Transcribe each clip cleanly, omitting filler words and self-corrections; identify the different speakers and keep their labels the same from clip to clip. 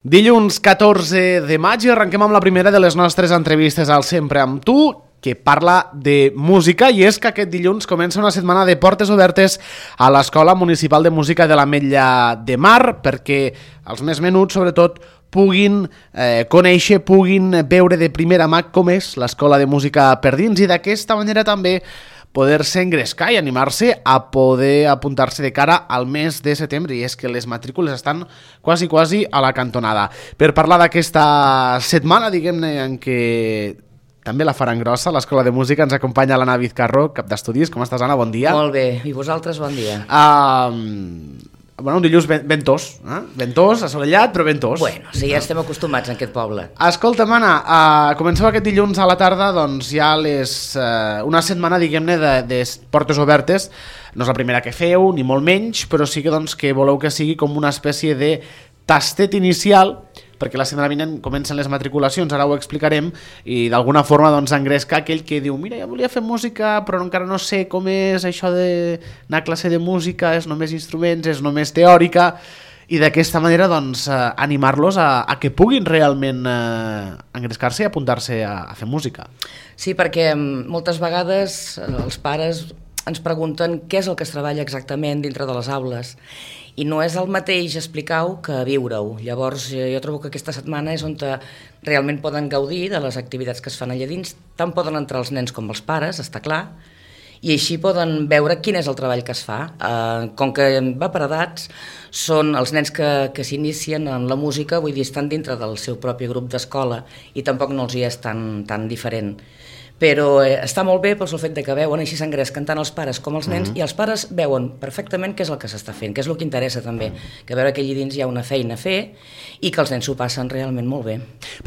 Speaker 1: Dilluns 14 de maig i arrenquem amb la primera de les nostres entrevistes al Sempre amb tu, que parla de música, i és que aquest dilluns comença una setmana de portes obertes a l'Escola Municipal de Música de l'Ametlla de Mar, perquè els més menuts, sobretot, puguin conèixer, puguin veure de primera mà com és l'Escola de Música per dins, i d'aquesta manera també poder-se engrescar i animar-se a poder apuntar-se de cara al mes de setembre, i és que les matrícules estan quasi a la cantonada. Per parlar d'aquesta setmana, diguem-ne, en què també la faran grossa, l'Escola de Música, ens acompanya l'Anna Vizcarro, cap d'estudis. Com estàs, Anna? Bon dia.
Speaker 2: Molt bé, i vosaltres bon dia.
Speaker 1: Un dilluns ventós, ventós, assolellat, però ventós.
Speaker 2: Bueno, sí, ja estem acostumats en aquest poble.
Speaker 1: Escolta'm, Anna, comenceu aquest dilluns a la tarda, doncs ja una setmana, diguem-ne, de portes obertes. No és la primera que feu, ni molt menys, però sí que, doncs, que voleu que sigui com una espècie de tastet inicial, perquè la setmana vinent comencen les matriculacions, ara ho explicarem, i d'alguna forma doncs engrescar aquell que diu, mira, jo volia fer música, però encara no sé com és això d'anar a classe de música, és només instruments, és només teòrica, i d'aquesta manera doncs animar-los a que puguin realment engrescar-se i apuntar-se a fer música.
Speaker 2: Sí, perquè moltes vegades els pares ens pregunten què és el que es treballa exactament dintre de les aules, i no és el mateix explicar-ho que viure-ho. Llavors jo trobo que aquesta setmana és on realment poden gaudir de les activitats que es fan allà dins, tant poden entrar els nens com els pares, està clar, i així poden veure quin és el treball que es fa. Com que va per edats, són els nens que s'inicien en la música, vull dir, estan dintre del seu propi grup d'escola i tampoc no els hi és tan diferent. Però està molt bé pel fet que veuen, així s'engresquen tant els pares com els nens, i els pares veuen perfectament què és el que s'està fent, què és el que interessa també, que veure que allà dins hi ha una feina a fer i que els nens s'ho passen realment molt bé.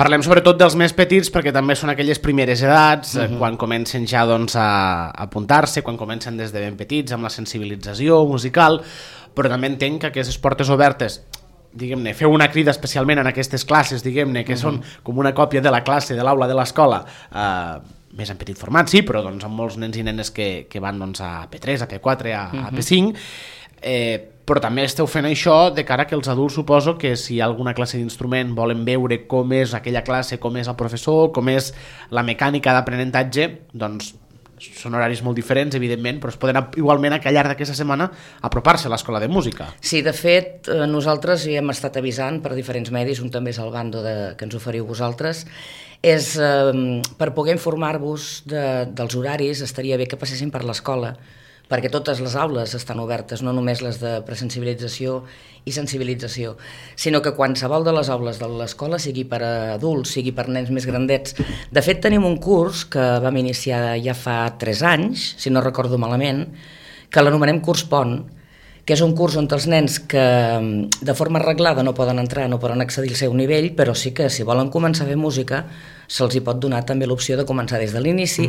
Speaker 1: Parlem sobretot dels més petits, perquè també són aquelles primeres edats, quan comencen ja doncs, a apuntar-se, quan comencen des de ben petits amb la sensibilització musical, però també entenc que aquestes portes obertes, diguem-ne, feu una crida especialment en aquestes classes, diguem-ne, que són com una còpia de la classe, de l'aula de l'escola, més en petit format, sí, però doncs, amb molts nens i nenes que van doncs, a P3, a P4, a P5, però també esteu fent això de cara que els adults, suposo que si hi ha alguna classe d'instrument volen veure com és aquella classe, com és el professor, com és la mecànica d'aprenentatge, doncs són horaris molt diferents, evidentment, però es poden igualment al llarg d'aquesta setmana apropar-se a l'Escola de Música.
Speaker 2: Sí, de fet, nosaltres hi hem estat avisant per diferents medis, un també és el bando que ens oferiu vosaltres, és per poder informar-vos dels horaris, estaria bé que passessin per l'escola, perquè totes les aules estan obertes, no només les de presensibilització i sensibilització, sinó que qualsevol de les aules de l'escola, sigui per adults, sigui per nens més grandets. De fet, tenim un curs que vam iniciar ja fa 3 anys, si no recordo malament, que l'anomenem Curs Pont, que és un curs on els nens que de forma arreglada no poden entrar, no poden accedir al seu nivell, però sí que si volen començar a fer música se'ls hi pot donar també l'opció de començar des de l'inici,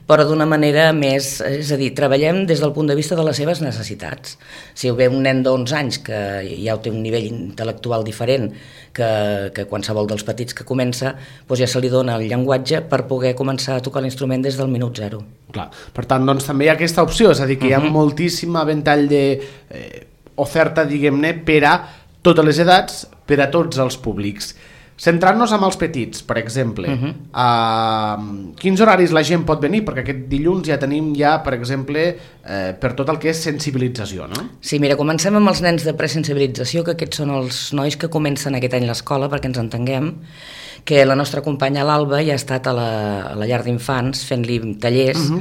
Speaker 2: però d'una manera més, és a dir, treballem des del punt de vista de les seves necessitats. Si ve un nen d'11 anys que ja té un nivell intel·lectual diferent que qualsevol dels petits que comença, doncs ja se li dona el llenguatge per poder començar a tocar l'instrument des del minut 0.
Speaker 1: Clar. Per tant, doncs, també hi ha aquesta opció, és a dir, que hi ha moltíssim ventall d'oferta, diguem-ne, per a totes les edats, per a tots els públics. Centrant-nos amb els petits, per exemple, quins horaris la gent pot venir? Perquè aquest dilluns ja tenim, per exemple, per tot el que és sensibilització, no?
Speaker 2: Sí, mira, comencem amb els nens de presensibilització, que aquests són els nois que comencen aquest any l'escola, perquè ens entenguem, que la nostra companya l'Alba ja ha estat a la llar d'infants fent-li tallers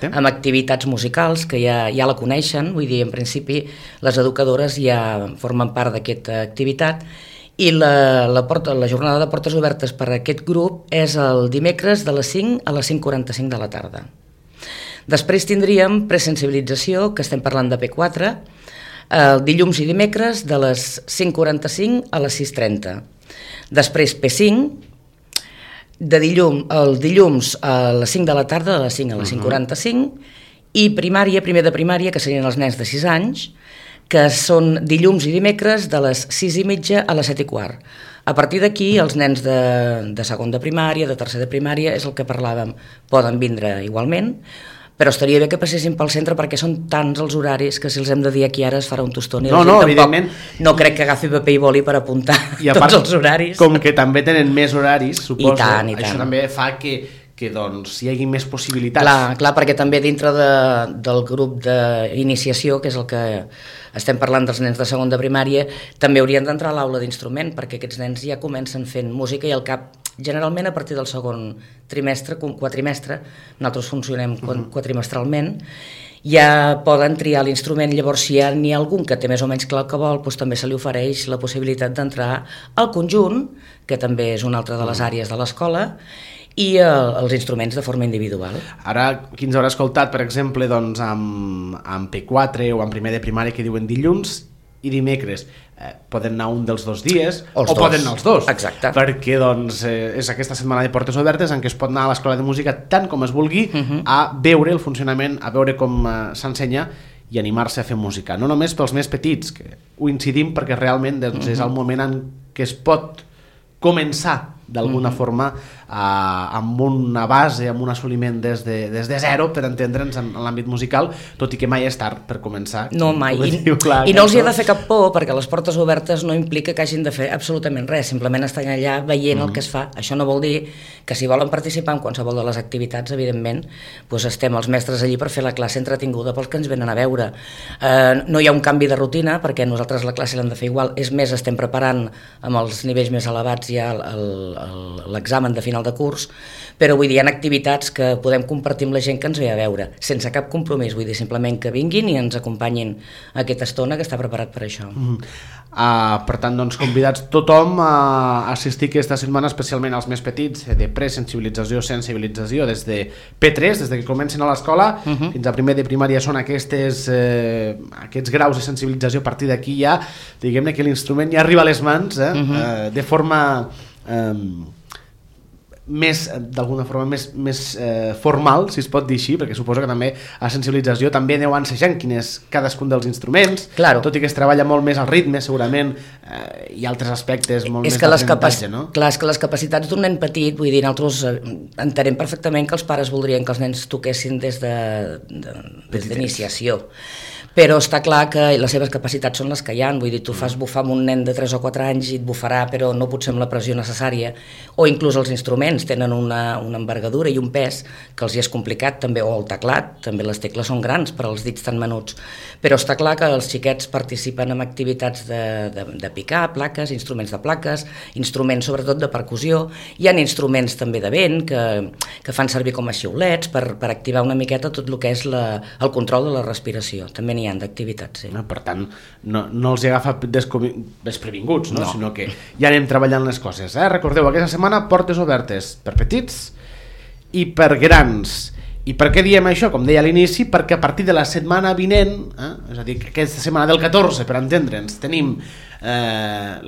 Speaker 2: amb activitats musicals, que ja la coneixen, vull dir, en principi les educadores ja formen part d'aquesta activitat, i la jornada de portes obertes per a aquest grup és el dimecres de les 5 a les 5:45 de la tarda. Després tindríem presensibilització, que estem parlant de P4, dilluns i dimecres de les 5:45 a les 6:30. Després P5, el dilluns a les 5 de la tarda, de les 5 a les 5:45, i primària, primer de primària, que serien els nens de 6 anys, que són dilluns i dimecres de les 6:30 a les 7:15. A partir d'aquí, els nens de segon de primària, de tercer de primària, és el que parlàvem, poden vindre igualment, però estaria bé que passessin pel centre perquè són tants els horaris que si els hem de dir aquí ara es farà un tostó i
Speaker 1: evidentment.
Speaker 2: No crec que agafi paper i boli per apuntar tots els horaris.
Speaker 1: Com que també tenen més horaris, suposo,
Speaker 2: I tant.
Speaker 1: Això també fa que doncs, hi hagi més possibilitats.
Speaker 2: Clar, perquè també dintre del grup d'iniciació, que és el que estem parlant dels nens de segon de primària, també haurien d'entrar a l'aula d'instrument, perquè aquests nens ja comencen fent música i al cap, generalment a partir del segon quatrimestre, nosaltres funcionem quatrimestralment, ja poden triar l'instrument. Llavors, si n'hi ha algun que té més o menys clar el que vol, doncs també se li ofereix la possibilitat d'entrar al conjunt, que també és una altra de les àrees de l'escola, i els instruments de forma individual.
Speaker 1: Ara, qui ens haurà escoltat, per exemple, doncs, amb P4 o amb primer de primària que diuen dilluns i dimecres, poden anar un dels 2 dies o poden anar els 2.
Speaker 2: Exacte.
Speaker 1: Perquè doncs, és aquesta setmana de portes obertes en què es pot anar a l'escola de música tant com es vulgui a veure el funcionament, a veure com s'ensenya i animar-se a fer música. No només pels més petits, que ho incidim perquè realment doncs, és el moment en què es pot començar d'alguna forma amb una base, amb un assoliment des de zero, per entendre'ns en l'àmbit musical, tot i que mai és tard per començar.
Speaker 2: No, mai. I no els hi ha de fer cap por, perquè les portes obertes no implica que hagin de fer absolutament res, simplement estan allà veient el que es fa. Això no vol dir que si volen participar en qualsevol de les activitats, evidentment, doncs estem els mestres allí per fer la classe entretinguda pels que ens venen a veure. No hi ha un canvi de rutina, perquè nosaltres la classe l'hem de fer igual, és més, estem preparant amb els nivells més elevats ja l'examen de final de curs, però vull dir, hi ha activitats que podem compartir amb la gent que ens ve a veure, sense cap compromís, vull dir, simplement que vinguin i ens acompanyin aquesta estona que està preparat per això.
Speaker 1: Per tant, doncs, convidats tothom a assistir aquesta setmana, especialment als més petits, de presensibilització, sensibilització, des de P3, des de que comencen a l'escola, fins a primer de primària són aquests graus de sensibilització. A partir d'aquí ja, diguem-ne que l'instrument ja arriba a les mans, de forma d'alguna forma més formal, si es pot dir així, perquè suposo que també a sensibilització també aneu ensejant quin és cadascun dels instruments, tot i que es treballa molt més al ritme, segurament hi ha altres aspectes molt més d'aprenentatge, no?
Speaker 2: Clar, és que les capacitats d'un nen petit, vull dir, nosaltres entenem perfectament que els pares voldrien que els nens toquessin des d'iniciació, però està clar que les seves capacitats són les que hi ha. Vull dir, tu fas bufar amb un nen de 3 o 4 anys i et bufarà, però no potser amb la pressió necessària, o inclús els instruments tenen una envergadura i un pes que els hi és complicat, també, o el teclat, també les tecles són grans per als dits tan menuts, però està clar que els xiquets participen en activitats de picar plaques, instruments de plaques, instruments sobretot de percussió, hi ha instruments també de vent que fan servir com a xiulets per activar una miqueta tot el que és el control de la respiració, també n'hi ha d'activitats. Sí.
Speaker 1: Per tant, no els hi agafa desprevinguts, no? Sinó que ja anem treballant les coses. Recordeu, aquesta setmana portes obertes per petits i per grans. I per què diem això? Com deia a l'inici, perquè a partir de la setmana vinent, és a dir, aquesta setmana del 14, per entendre'ns, tenim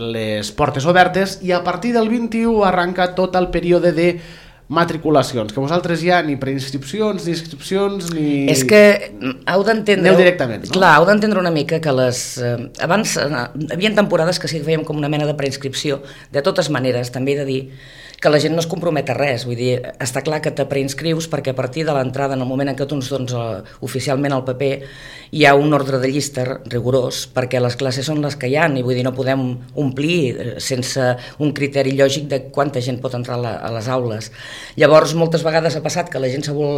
Speaker 1: les portes obertes i a partir del 21 arranca tot el període de matriculacions, que vosaltres ja ni preinscripcions, ni inscripcions, ni...
Speaker 2: És que heu d'entendre...
Speaker 1: Aneu directament, no?
Speaker 2: Clar, heu d'entendre una mica que abans hi havia temporades que sí que fèiem com una mena de preinscripció. De totes maneres, també he de dir que la gent no es compromet a res, vull dir, està clar que te preinscrius perquè a partir de l'entrada, en el moment en què tu ens dones oficialment el paper, hi ha un ordre de llista rigorós, perquè les classes són les que hi ha, i vull dir, no podem omplir sense un criteri lògic de quanta gent pot entrar a les aules. Llavors, moltes vegades ha passat que la gent se vol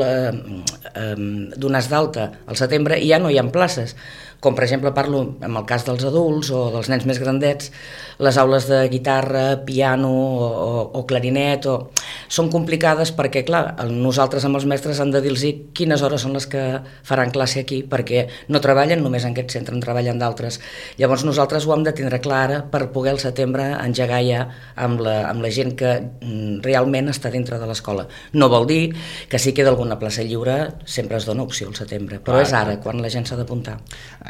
Speaker 2: donar d'alta al setembre i ja no hi ha places. Com per exemple parlo en el cas dels adults o dels nens més grandets, les aules de guitarra, piano o clarinet són complicades perquè, clar, nosaltres amb els mestres hem de dir-los quines hores són les que faran classe aquí, perquè no treballen només en aquest centre, en treballen d'altres. Llavors nosaltres ho hem de tindre clara per poder al setembre engegar ja amb la gent que realment està dintre de l'escola. No vol dir que si queda alguna plaça lliure sempre es dona opció al setembre, però és ara quan la gent s'ha d'apuntar.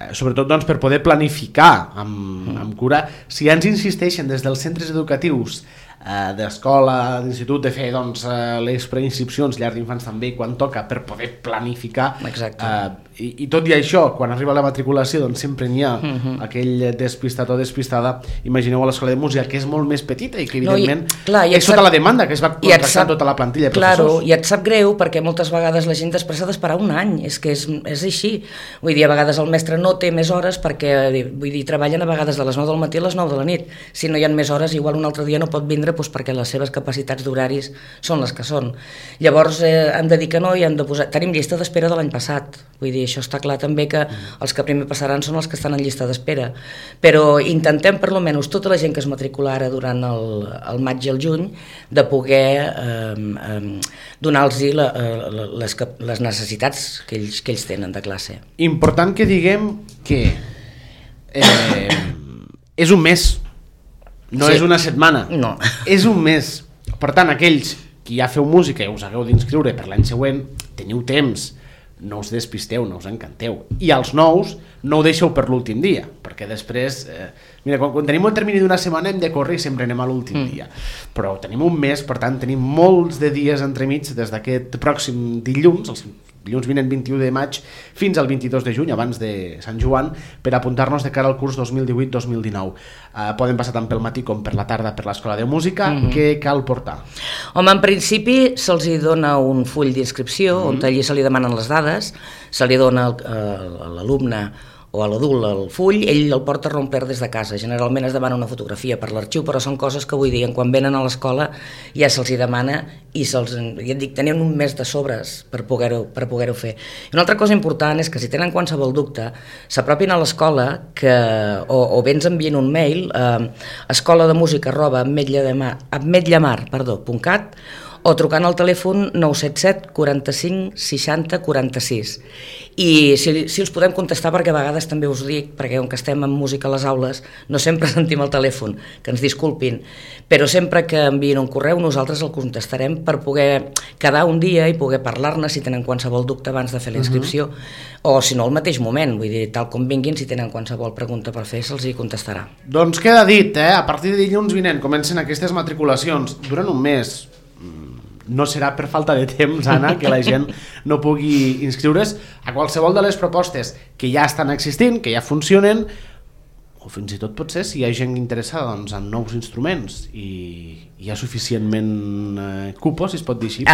Speaker 1: Sobretot doncs, per poder planificar amb cura. Si ja ens insisteixen des dels centres educatius d'escola, d'institut, de fer doncs, les preinscripcions, llars d'infants també, quan toca, per poder planificar. I tot i això, quan arriba la matriculació, doncs sempre n'hi ha aquell despistat o despistada. Imagineu a l'escola de música, que és molt més petita i que evidentment és tota la demanda que es va contractar tota la plantilla de professors.
Speaker 2: I et sap greu perquè moltes vegades la gent després s'ha d'esperar un any, és que és així. Vull dir, a vegades el mestre no té més hores perquè, vull dir, treballen a vegades de les 9 del matí a les 9 de la nit. Si no hi ha més hores, igual un altre dia no pot vindre doncs perquè les seves capacitats d'horaris són les que són. Llavors hem de dir que no i hem de posar... Tenim llista d'espera de l'any passat. Vull dir, això està clar també que els que primer passaran són els que estan en llista d'espera. Però intentem, per lo menys, tota la gent que es matricular ara durant el maig i el juny, de poder donar-los les necessitats que ells tenen de classe.
Speaker 1: Important que diguem que és un mes, no és una setmana,
Speaker 2: no.
Speaker 1: És un mes. Per tant, aquells que ja feu música i us hagueu d'inscriure per l'any següent, teniu temps, no us despisteu, no us encanteu. I als nous no ho deixeu per l'últim dia, perquè després... Mira, quan tenim un termini d'una setmana hem de córrer i sempre anem a l'últim dia. Però tenim un mes, per tant, tenim molts de dies entremig des d'aquest pròxim dilluns, el dilluns vinent 21 de maig, fins al 22 de juny, abans de Sant Joan, per apuntar-nos de cara al curs 2018-2019. Poden passar tant pel matí com per la tarda per l'Escola de Música. Què cal portar?
Speaker 2: Home, en principi se'ls dona un full d'inscripció on allí se li demanen les dades, se li dona a l'alumne o a l'adult el full, ell el porta a romper des de casa. Generalment es demana una fotografia per l'arxiu, però són coses que, vull dir, quan venen a l'escola ja se'ls demana i ja et dic, tenen un mes de sobres per poder-ho fer. I una altra cosa important és que si tenen qualsevol dubte, s'apropin a l'escola o bé ens envien un mail a escolademúsica@ametlllamar.cat o trucant al telèfon 977 45 60 46. I si els podem contestar, perquè a vegades també us ho dic, perquè com que estem amb música a les aules no sempre sentim el telèfon, que ens disculpin, però sempre que envien un correu nosaltres el contestarem per poder quedar un dia i poder parlar-ne si tenen qualsevol dubte abans de fer la inscripció, o si no al mateix moment, vull dir, tal com vinguin, si tenen qualsevol pregunta per fer se'ls hi contestarà.
Speaker 1: Doncs queda dit, a partir de dilluns vinent comencen aquestes matriculacions, duren un mes. No serà per falta de temps, Anna, que la gent no pugui inscriure's a qualsevol de les propostes que ja estan existint, que ja funcionen, o fins i tot potser si hi ha gent interessada doncs, en nous instruments i hi ha suficientment cupos, si es pot dir així.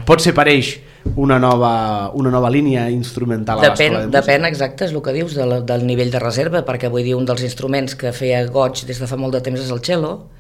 Speaker 1: Potser apareix una nova línia instrumental a l'escola de música.
Speaker 2: Depèn, exacte, és el que dius, del nivell de reserva, perquè vull dir, un dels instruments que feia goig des de fa molt de temps és el cello,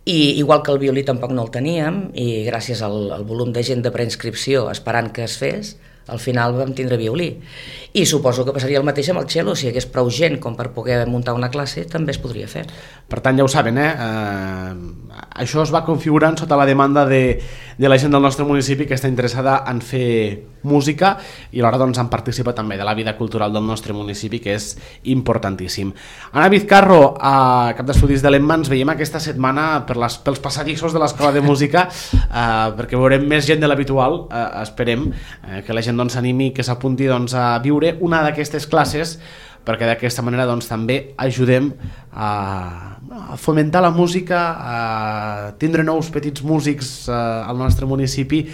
Speaker 2: i igual que el violí tampoc no el teníem, i gràcies al volum de gent de preinscripció esperant que es fes, al final vam tindre violí. I suposo que passaria el mateix amb el cello, si hi hagués prou gent com per poder muntar una classe, també es podria fer.
Speaker 1: Per tant, ja ho saben, això es va configurant sota la demanda de la gent del nostre municipi que està interessada en fer música i alhora doncs, en participar també de la vida cultural del nostre municipi, que és importantíssim. Anna Vizcarro, a Cap d'Estudis de l'EMMA, ens veiem aquesta setmana pels passadissos de l'Escola de Música, perquè veurem més gent de l'habitual, esperem que la gent s'animi, que s'apunti a viure una d'aquestes classes, perquè d'aquesta manera també ajudem a fomentar la música, a tindre nous petits músics al nostre municipi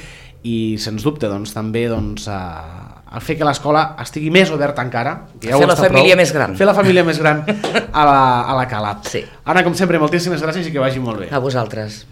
Speaker 1: i, sens dubte, també a fer que l'escola estigui més oberta encara.
Speaker 2: Fer la família més gran.
Speaker 1: Fer la família més gran a la Cala.
Speaker 2: Sí.
Speaker 1: Anna, com sempre, moltíssimes gràcies i que vagi molt bé.
Speaker 2: A vosaltres.